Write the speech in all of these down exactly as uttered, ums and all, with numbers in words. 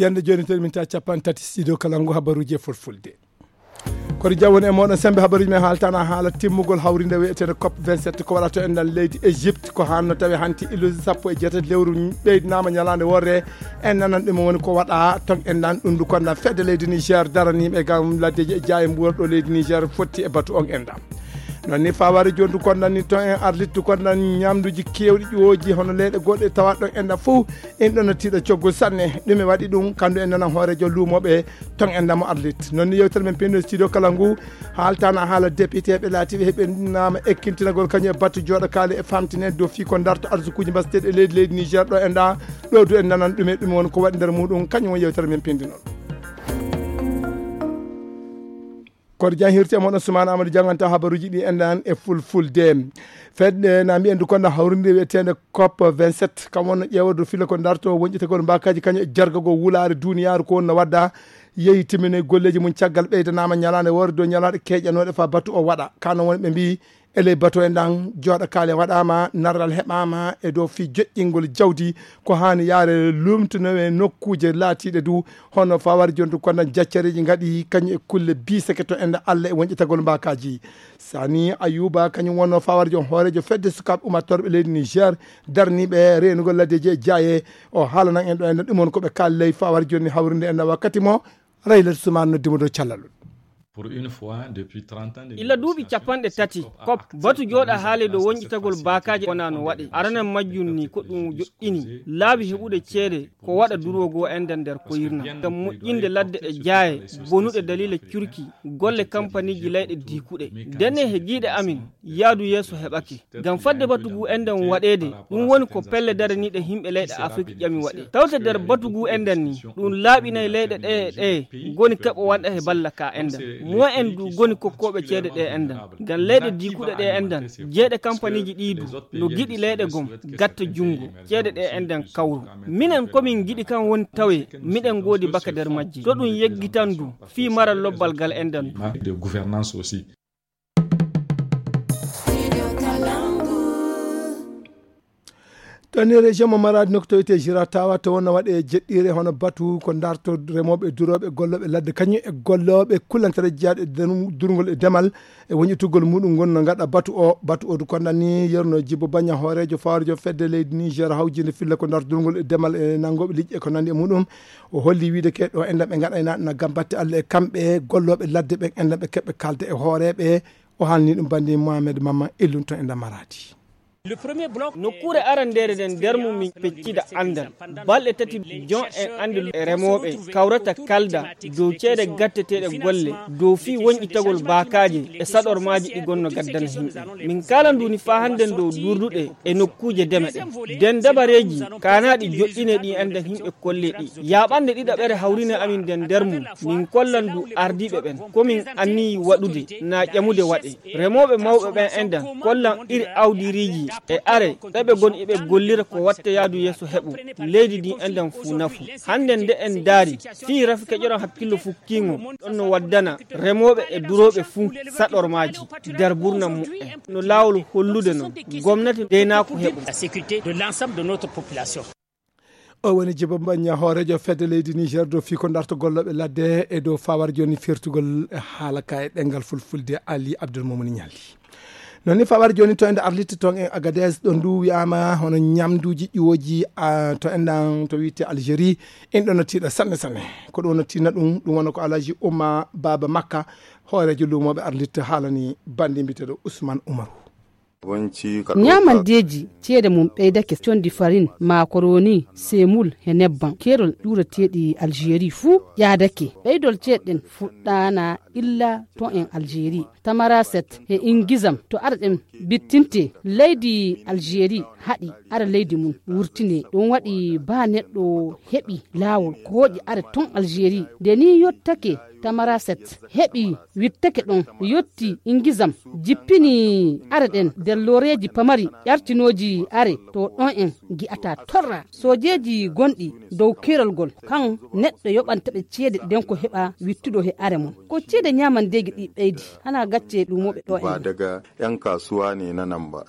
Yande jooni, terminta capanɗe tati studio kala ngu habaruuji e fulfulde. Kono jawwon e mooɗon, sembe habaruuji men haaltana haala timmugol hawrinde wi'eteende cop vingt-sept ko waɗata en ɗan leydi Égypte, ko hanno tawi hanti ilusi sappo e jeetati lewru ɓeydinaama ñalaande worre. En nanan ɗum woni ko waɗa ton en ɗan ɗum ndu konda fedde leydi Niger daraniiɓe gam laddeji e jaaye mbuwor ɗo leydi Niger fotti e batu on en ɗan. Non ni fawari joni ndu kondan ni ton en arlit ndu kondan ñamduji kewɗi ƴooji hono leyɗe goɗɗe tawa ɗon en ɗan fof en ɗon no tiiɗa coggol sanne. Ɗume waɗi ɗum? Kandu en nanan hoorejo luumoɓe ton en ɗan mo arlit. Non ni yewtere men pinno studio kala ngu haaltana haala député ɓe laatiɓe heɓe nama ekkintinagol kañum e battu jooɗo kaali e famtine dow fii ko darto arsukuji mbasteɗi e leydi leydi Niger ɗo en ɗa. Ɗo du en nanan ɗume ɗum woni ko waɗi nder muɗum kañum woni yewtere men pindinol. Koto jan hirti e moɗon Sumaana Amadou janganta habaruji ɗi en ɗan e fulfulde. Fedde na mbiyen du konda hawrinde wi'eteende cop vingt-sept kam wonno ƴeewa dow filla ko darto wonƴetagol mbakaji kañum e jargagol wulaare duniyaaru ko wonno wadda. Yehi timminoy golleji mum caggal ɓeydanama ñalaande woore dow ñalaɗe keƴanoɗe fa batu o waɗa kano woni ɓe mbi e ley batu en ɗan jooɗa kaale waɗama narral heɓama e dow fii joƴƴingol jawdi. Ko hani yaare lumtunowe nokkuje laatiɗe du hono fawar jontu kondan jaccareji gaɗi kañum e kulle biseke to enda allah e wonƴitagol mbakaji. Sani Ayuba kañum wonno fawar jon hoorejo fedde sukaɓe umattorɓe leydi Niger darniɓe renugol laddeji e jaaye. O haalanan en ɗo enda ɗum woni koɓe kaali ley fawar jonni hawrinde enda wakkati mo. Rayla Suman noddimo dow callal. Illa duuɓi capanɗe tati cop batu jooɗa haale dow wonƴitagol baakaaji wona no waɗe. Aranan majjum ni ko ɗum joɗɗini laabi heɓude ceede ko waɗa durwogoo enɗan nder koyirna ngam moƴƴinde ladde e jaaye bonuɗe daliila curki golle kampaniiji layɗe diikuɗe. Ndenne he jiiɗe amin yaadu yeeso heɓake. Ngam fadde batu ngu enɗan waɗeede, ɗum woni ko pelle daraniiɗe yimɓe leyɗe Afrik ƴami waɗe. Tawte nder batu ngu enɗan ni, ɗum laaɓinay leyɗe ɗe e ɗe ngoni keɓo wanɗa he balla ka enɗan. Mo'en du ngoni kokkooɓe ceede ɗe enɗan. Ngam leyɗe diikuɗe ɗe enɗan, jeeɗe kampaniiji ɗi du, no giɗi leyɗe gom, gatta junngo, ceede ɗe enɗan kawru. Minen ko min ngiɗi kan woni tawe, miɗen ngoodi baka nder majji. To ɗum yeggitan du, fii maral lobbal gal enɗan du. Tani région mo Maradi noktoyte Jiratawa to wonno waɗe jeɗɗire hono batu ko darto remoɓe duroɓe golloɓe ladde kañum e golloɓe kullantare jeyaɗe durgol e demal e wonƴitugol muɗum gon no gaɗa batu o. Batu o du kondani yerno jibbo baña hoorejo fawrejo fedde leydi Niger hawjinde filla ko darto durgol e demal e nangoɓe liƴƴe ko nandi e muɗum. O holli wiide ke ɗo enɗan ɓe gaɗayna na gam batte Allah e kamɓe gollooɓe ladde ɓen enɗan ɓe keɓɓe kalde e hooreɓe. O haalni ɗum bandi Mohamed Mamma Ellun to enɗan Maradi. Nokkuure arandeere nden nder mum min peccida anndal balɗe tati jon en anndi remooɓe kawrata kalda dow ceede gatteteeɗe golle dow fii wonƴitagol baakaaje e saɗormaaji ɗi gonno gaddana himɓe. Min kala nduni faa hannden dow durduɗe e nokkuuje deme ɗen. Nden dabareeji kaanaaɗi joɗɗine ɗi enden himɓe kolle ɗi. Yaaɓannde ɗiɗaɓere hawrine amin nden nder mum, min kollan du ardiiɓe ɓen. Ko min anniyi waɗude, na ƴamude waɗe. Remooɓe mawɓe ɓen enden kollan iri awdiriiji e are ɓe ɓe gon iɓe gollira ko watta yaadu yeeso heɓu leydi ndin enden fuu nafu. Hannden nde en ndaari fii rafi keƴoran hakkillo fukkiingo ɗon no waddana remooɓe e durooɓe fuu saɗormaaji nder burnan muɓɓen. No laawol hollude non gomnati deynaako heɓu. O woni Jibo Mbañña hooreejo fedde leydi Niger dow fii ko darto gollooɓe ladde e dow fawar jooni firtugol haala ka e ɗemngal fulfulde Ali Abdoul Moumouni Nialli. Non ni fawar jooni to ende arlitte toon e Agadez ɗo ndu wiyaama hono ñamduuji ƴuwoji a to enɗan to wiite Algérie. En ɗo no tiiɗa sanne sanne. Ko ɗum no tiina ɗum ɗum wona ko Alhaji Umma Baba Makka hooreejo luumooɓe arlitte haalani bandi mbiyeteeɗo Ousmane Oumarou. Ñaamandeeji ceede mum ɓeydake condi farin, makoroni, semul he nebban keerol ƴuurateeɗi Algérie fuu ƴaadake. Ɓeydol ceede ɗen fuɗɗaana illa to en Algérie. Tamaraset he ingizam to ara ɗen bittinte leydi Algérie haɗi ara leydi mum wurtine. Ɗum waɗi baa neɗɗo heɓi laawol kooƴi ara ton Algérie. Nde ni yottake Tamaraset heɓi wittake ɗon yotti ingizam jippini are ɗen nder looreeji pamari ƴartinooji are to ɗon en ngi'ata torra soojeeji gonɗi dow keerol gol kan neɗɗo yoɓanta ɓe ceede ɗen ko heɓa wittuɗo he are mum ko ceede ñaamandeeji ɗi ɓeydi hana gacce luumooɓe ɗo en. Ba daga yan kasuwa ne na nan ba.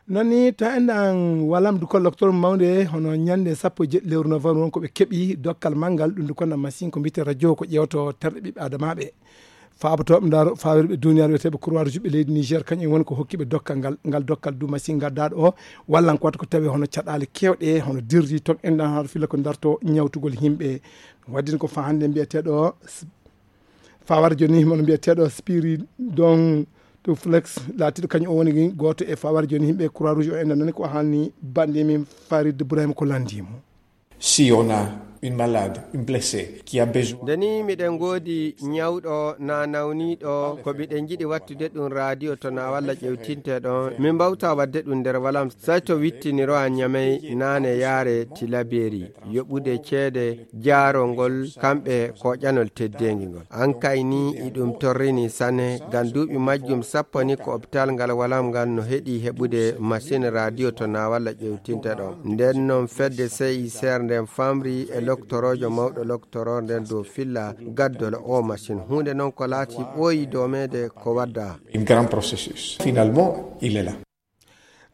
Noon ni to enɗan walam du kolloktor mawnde hono ñande sappo e jeɗɗi lewru novembre won ko ɓe keɓi dokkal manngal ɗum du konna machine ko mbiyetee radio ko ƴeewto terɗe ɓiɓɓe adamaaɓe. Faabotooɓe ndaaro faawirɓe duniyaaru wiyeteeɓe Croix Rouge ɓe leydi Niger kañum woni ko hokkiɓe dokkal ngal, ngal dokkal du machine ngaddaɗo o wallan ko wata ko tawi hono caɗaale kewɗe hono dirri toon enɗan har filla ko darto ñawtugol yimɓe. Waddin ko fa hannde mbiyeteeɗo Fawar joni himo mbiyeteeɗo Spiridon to Flex laatiɗo kañum o woni gooto e fawar joni yimɓe Croix Rouge o enɗan nani ko haalni banndi min Farid Ibrahim ko lanndimo. Si on a une malade, une blessée qui a besoin. Nde ni miɗen ngoodi ñawɗo na nawniiɗo ko miɗen njiɗi wattude ɗum radio to na walla ƴewtinte ɗon min mbawta waɗde ɗum nder walam. Sato wittiniro a ñamey naane yaare tilaberi yoɓude ceede jaarongol kamɓe koƴanol teddeengi ngol. An kay ni iɗum torrini sane ngam duuɓi majjum sappo ni ko opital ngal walam ngal no heɗi heɓude machine radio to na walla ƴewtinte ɗon. Nden non fedde C I C R nden famri e loktoroojo mawɗo loktoroo nden dow filla gaddol o machine. Huunde non ko laati ɓooyi domeede ko wadda. Un grand processus. Finalement, il est là.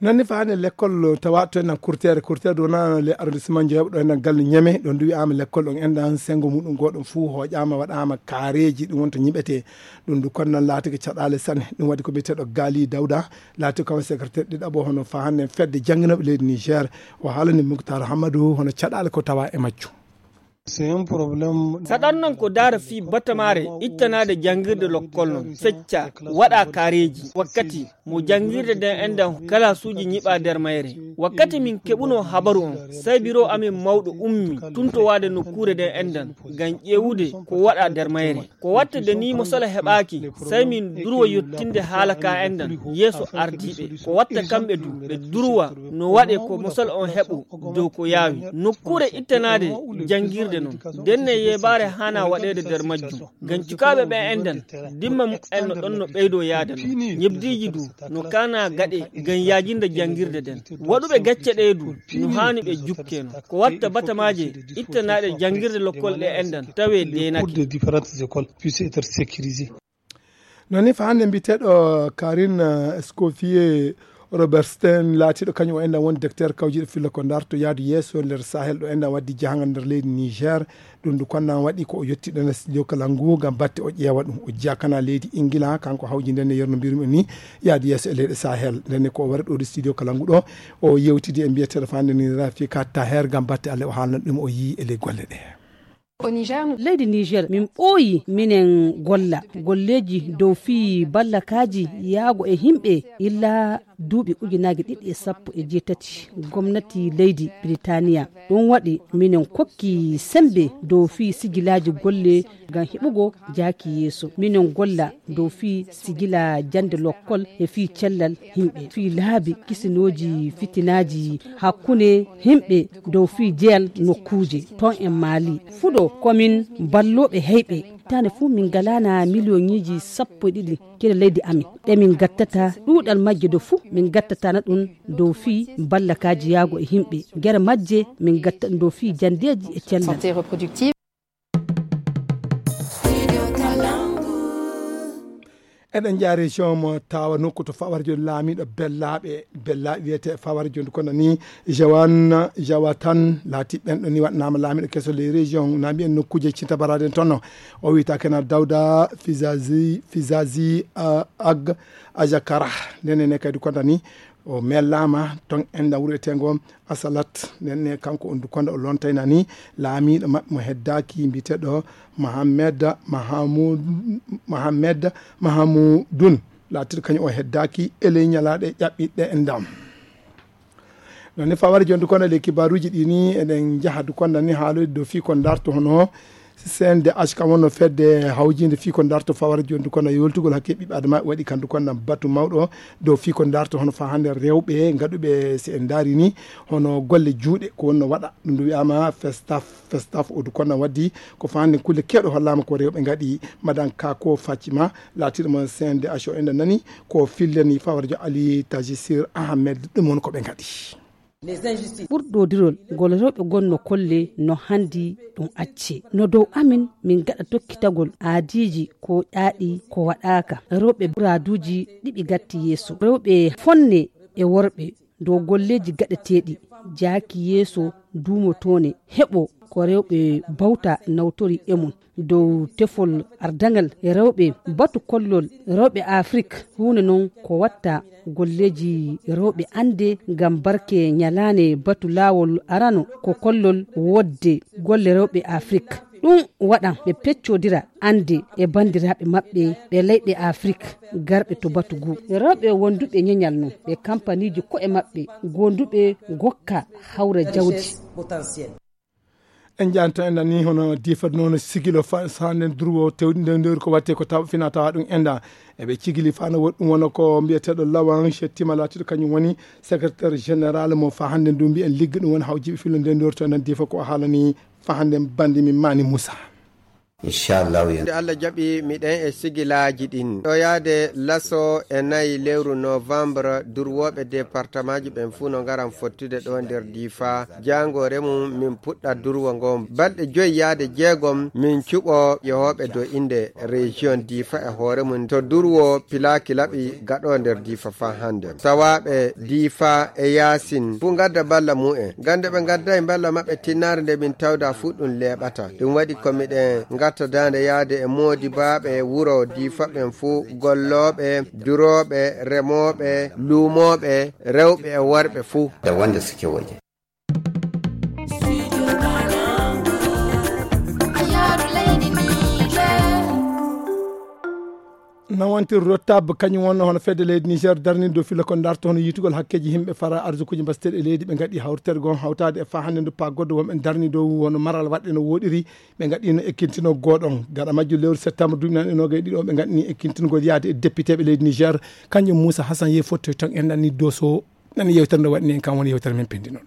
Noon ni faani lekkol tawa to enen kurteere kurteere ɗo wona le arrondissement Dieuppeul ɗo enen galle Niamey ɗo ndu wiyaama lekkol ɗon enɗan senngo muɗum gooɗum fuu hooƴaama waɗaama kaareeji ɗum woni to ñiɓetee. Ɗum ndu kono noon laatike caɗaale sanne ɗum waɗi ko biyeteeɗo Gaali Dawda laati ko secrétaire ɗiɗaɓo hono fa hannde fedde jannginooɓe leydi Niger o haalani Muktar Hammadou hono caɗaale ko tawa e majjum. Saɗan non ko daara fii batamaare ittanaade janngirde lokkol non fecca waɗa kaareeji wakkati mo janngirde nden enɗan kalaasuuji ñiɓa nder mayre. Wakkati min keɓunoo habaru on sey biro amin mawɗo ummi tuntowaade nokkuure nden enɗan ngam ƴeewude ko waɗa nder mayre. Ko watta de ni mosala heɓaaki sey min durwa yottinde haala ka enɗan yeeso ardiiɓe. Ko watta kamɓe du ɓe durwa no waɗe ko mosala on heɓo dow ko yaawi nokkuure ittanaade janngirde non. Ndenne yeebaare haana waɗeede nder majjum ngam cukaaɓe ɓe enɗan dimma muɓɓen no ɗon no ɓeydo yaade non. Ñebdiiji du no kaana gaɗe ngam yaajinde janngirde nden. Waɗuɓe gacce ɗee du no haani ɓe jukkeno ko watta batamaaje ittanaaɗe janngirde lokkol ɗe enɗan tawe deenake. Noon ni fa hannde mbiyeteeɗo Karine Escoffier Robertstein laatiiɗo kañum o enɗan woni docteur kawjiiɗo filla ko darto yaadu yeeso nder Sahel ɗo enɗan waddi jahangal nder leydi Niger. Ɗum ndu konna waɗi ko o yetti ɗon e studio kala ngu ngam batte o ƴeewa ɗum o jiyakana leydi Ingila kanko hawji nden e yerno mbirmi ni yaadu yeeso e leyɗe Sahel nden ko o wari ɗo studio kala ngu ɗo o yewtidi e mbiyeteeɗo fa hannde ni Rafika Taher ngam batte Allah o haalna ɗum o yii e ley golle ɗe. Leydi Niger min ɓooyi minen golla golleeji dow fii ballakaaji yaago e yimɓe illa duuɓi ujunaaji ɗiɗi e sappo e jeetati gomnati leydi Biritaniya. Ɗum waɗi minen kokki semmbe dow fii sigilaaji golle ngam heɓugo jaaki yeeso. Minen golla dow fii sigila jannde lokkol e fii cellal yimɓe fii laabi kisinooji fitinaaji hakkunde yimɓe dow fii jeyal nokkuuje toon e Maali. Fuɗo ko min ballooɓe heyɓe. Hitaande fuu min ngalaana miliyoŋiiji sappo e ɗiɗi kede leydi amin ɗe min ngattata ɗuuɗal majje do fuu min ngattatana ɗum dow fii ballakaaji yaago e yimɓe gere majje min ngatta ɗum dow fii janndeeji e cellal. Eɗen njaha région mo tawa nokku to fawar joni laamiɗo bellaaɓe bellaaɓe wiyete fawar joni kono ni jawan jawatan laati ɓen ɗo ni waɗnama laamiɗo keso ley région na mbiyen nokkuje cintabaraden tonno. O wiyta kena dawda fizazi fizazi ag ajakara. Ndenen ne kadi kono ni o mellama ton enda wuro etengo asalat. Ndenne kanko on dukonda o lontayna ni laamiɗo maɓɓe mo heddaaki mbiyeteɗo mohammed mahamud mohammed mahamudun laatiɗo kañum o heddaaki e ley ñalaaɗe ƴaɓɓiɗɗe e ndam. Noon ni fawari jonde kono e ley kibaruuji ɗi ni eɗen njaha du konda ni haaloyde dow fii ko darto hono C N D H kam wonno fedde hawjinde fii ko darto fawara joni du konda yoltugol hakke ɓiɓɓe adama waɗi kan du konda batu mawɗo dow fii ko darto hono fa hannde rewɓe ngaɗuɓe si en daari ni hono golle juuɗe ko wonno waɗa ɗum du wiyama festaf festaf o du konda waddi ko fa hannde kulle kewɗe hollama ko rewɓe ngaɗi madan kako faccima laatiɗo mo C N D H o enda nani ko fillani fawara jo Ali Tajisir Ahmed ɗum woni ko ɓe ngaɗi. Ɓurɗodirol ngol rewɓe gonno kolle no handi ɗum acce no dow amin min gaɗa tokkitagol aadiiji ko ƴaaɗi ko waɗaaka rewɓe buraaduuji ɗiɓi gatti yeeso rewɓe fonne e worɓe dow golleeji gaɗeteeɗi, jaaki yeeso duumotoone heɓo ko rewɓe bawta nawtori e mum. Dow tefol ardaŋal rewɓe, batu kollol rewɓe Afrik, huunde noon ko watta golleeji rewɓe annde ngam barke ñalaande batu laawol arano ko kollol wodde golle rewɓe Afrik. Ɗum waɗan ɓe peccodira annde e banndiraaɓe maɓɓe ɓe leyɗe Afrik garɓe to batu ngu. Rewɓe wonduɓe ñeñal noon ɓe kampaniiji ko'e maɓɓe gonduɓe gokka hawra jawdi. En janta en nani hono difat noon sigilo fa sanden durwo tewdi nde ndewri ko watte ko taw fina tawa ɗum enda eɓe cigili fano woɗɗum wona ko mbiyeteɗo lawan chettima latiɗo kañum woni secrétaire général mo fa hande ndu mbiyen ligga ɗum woni hawjiɓe filo nde ndewri to enen difa ko haalani fa hande bandi min mani moussa. Inchallahu. Nde Allah jaɓi miɗen e sigilaaji ɗin ɗo yaade laso e nayi lewru novembre durwooɓe départemaaji ɓen fuu no ngaran fottude ɗo nder diifa. Jaangoore mum min puɗɗa durwo ngon balɗe joyi yaade jeegom min cuɓo yehooɓe do innde région diifa e hoore mum to durwo pilaaki laɓi gaɗo nder diifa faa hannde. Tawaaɓe diifa e yaasin fuu ngadda balla mumen gande ɓe ngaddayi balla maɓɓe tinnaare nde min tawda fuu ɗum leeɓata. Ɗum waɗi ko miɗen ngatta daande yaade e moodibaaɓe wuro diifa ɓen fuu, gollooɓe, durooɓe, remooɓe, luumooɓe, rewɓe e worɓe fuu. Da wanda suke waje. Nawantir rotab kañum wonno hono fedde leydi niger darni dow filla ko darto hono yitugol hakkeji yimɓe fara arsukuji mbasteɗi e leydi ɓe gaɗi hawritergo on hawtade e fa hannde ndu pa goɗɗo wonɓe darni dow hono maral waɗɗe no woɗiri. Ɓe gaɗino ekkintinoggoɗon gaɗa majjum lewru septembre duuɓi nan e noga e ɗiɗo ɓe gaɗini ekkintingol yaade e député ɓe leydi niger. Kañum moussa hassan ye fottoy tan en nanni doso nani yewtere nde waɗini en kam woni yewtere men pindi noon.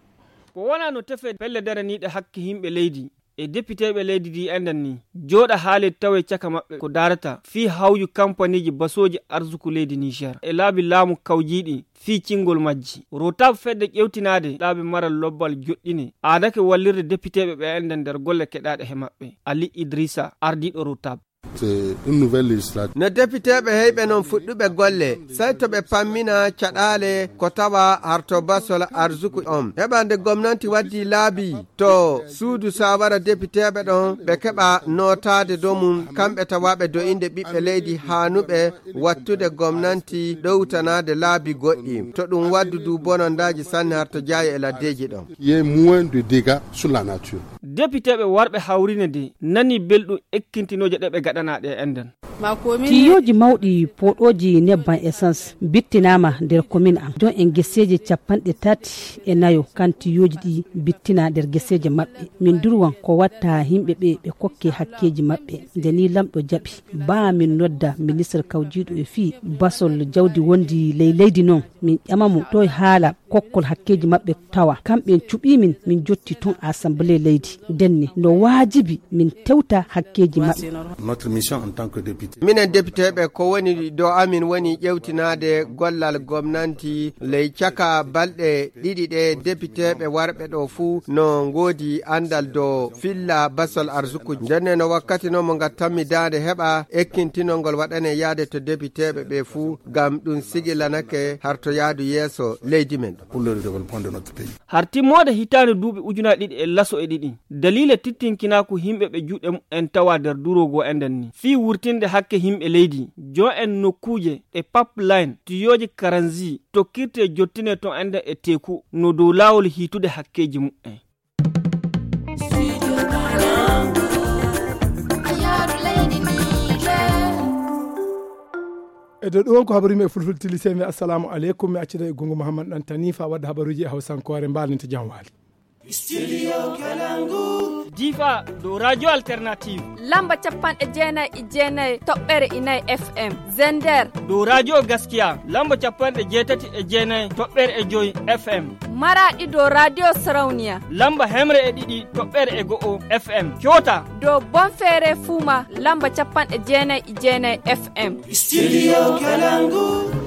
Ko wona no tefe pelle daraniiɗe hakke yimɓe leydi e depiteeɓe leydi ndi enden ni jooɗa haalee tawe caka maɓɓe ko daarata fii hawju kampaniiji basooji arsuku leydi niger e laabi laamu kawjiiɗi fii cingol majji. Rotaab fedde ƴewtinaade laabi maral lobbal joɗɗine aadake wallirde depiteeɓe ɓe enden nder golle keɗaaɗe he maɓɓe. Ali idrisa ardiiɗo rotaab. No depiteeɓe heyɓe noon fuɗɗuɓe golle sey to ɓe pammina caɗaale ko tawa harto basol arsuku on heɓande gomnanti waddi laabi to suudu sawara depiteeɓe ɗon ɓe keɓa nootaade dow mum kamɓe tawaaɓe do'inde ɓiɓɓe leydi haanuɓe wattude gomnanti ɗowtanaade laabi goɗɗi to ɗum waddu du bonondaaji sanne harto jaayo e laddeeji ɗon. Ye moins de dégâts sur la nature. Depiteeɓe warɓe hawrine de nani belɗum ekkintinooje ɗe ɓe gaɗanaa ɗe enden. Tiyooji mawɗi pooɗooji nebban essence bittinaama nder komin am don en geseeje capanɗe tati e nayo kan tiyooji ɗi bittina nder geseeje maɓɓe. Min durwan ko watta yimɓe ɓe ɓe kokke hakkeeji maɓɓe. Nde ni lamɗo jaɓi baa min nodda ministre kawjiiɗo e fii basol jawdi wondi ley leydi non min ƴama mo toye haala kokkol hakkeeji maɓɓe tawa kamɓe en cuɓii min min jotti ton assemblée leydi. Ndenne no waajibi min tewta hakkeeji maɓɓe. Minen depiteeɓe ko woni do amin woni ƴewtinaade gollal gomnanti ley caka balɗe ɗiɗi ɗe depiteeɓe warɓe ɗo fuu no ngoodi anndal do filla basol arsukuji ndenne no wakkati no mo ngattanmi daande heɓa ekkintinol ngol waɗane yaade to depiteeɓe ɓe fuu ngam ɗum sigilanake harto yaadu yeeso leydi men. Har timmoode hitaande duuɓi ujunaaji ɗiɗi e laso e ɗiɗi daliila tittinkinaaku yimɓe ɓe juuɗe mumen tawa nder duroogo enden ni fii wurtinde hakke yimɓe leydi jo en nokkuuje e pipeline tuyooji karanzi tokkirte jottine to enden e teeku no dow laawol hiitude hakkeeji mumen. E dow ɗum won ko habaru yimɓe e fulfulde tilise mi assalamu aleykum mi accida e gungu mouhammad ɗan tani fa wadde habaruji e hawsankoore mbalninte jam waali. Difa dow radio alternative lamba capanɗe jeenayi e jeenayi toɓɓere inayi fm. Zender dow radio gaskiya lamba capanɗe jeetati e jeenayi toɓɓere e joyi fm. Maraɗi dow radio sarauniya lamba hemre e ɗiɗi toɓɓere e go'o fm. Coota dow bonfeere fuuma lamba capanɗe jeenayi e jeenayi fm. Studio Kalangu.